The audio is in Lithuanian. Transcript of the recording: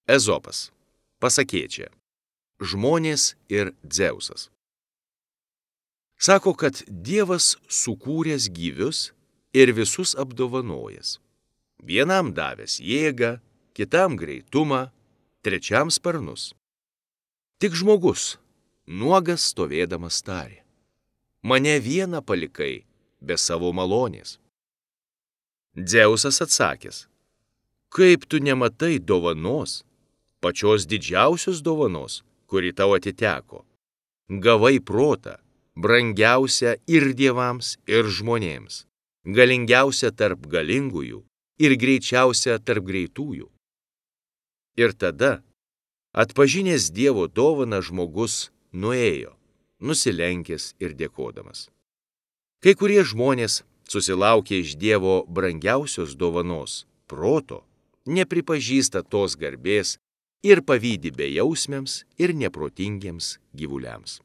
Ezopas. Pasakėčia. Žmonės ir Dzeusas. Sako, kad Dievas sukūręs gyvius ir visus apdovanojęs. Vienam davęs jėgą, kitam greitumą, trečiam sparnus. Tik žmogus, nuogas stovėdamas tarė: mane vieną palikai be savo malonės. Dzeusas atsakęs: kaip tu nematai dovanos, pačios didžiausios dovanos, kuri tau atiteko? Gavai protą, brangiausią ir dievams, ir žmonėms, galingiausią tarp galingųjų ir greičiausią tarp greitųjų. Ir tada, atpažinęs Dievo dovaną, žmogus nuėjo, nusilenkęs ir dėkodamas. Kai kurie žmonės, susilaukę iš Dievo brangiausios dovanos, proto, nepripažįsta tos garbės ir pavydi bejausmiams ir neprotingiems gyvuliams.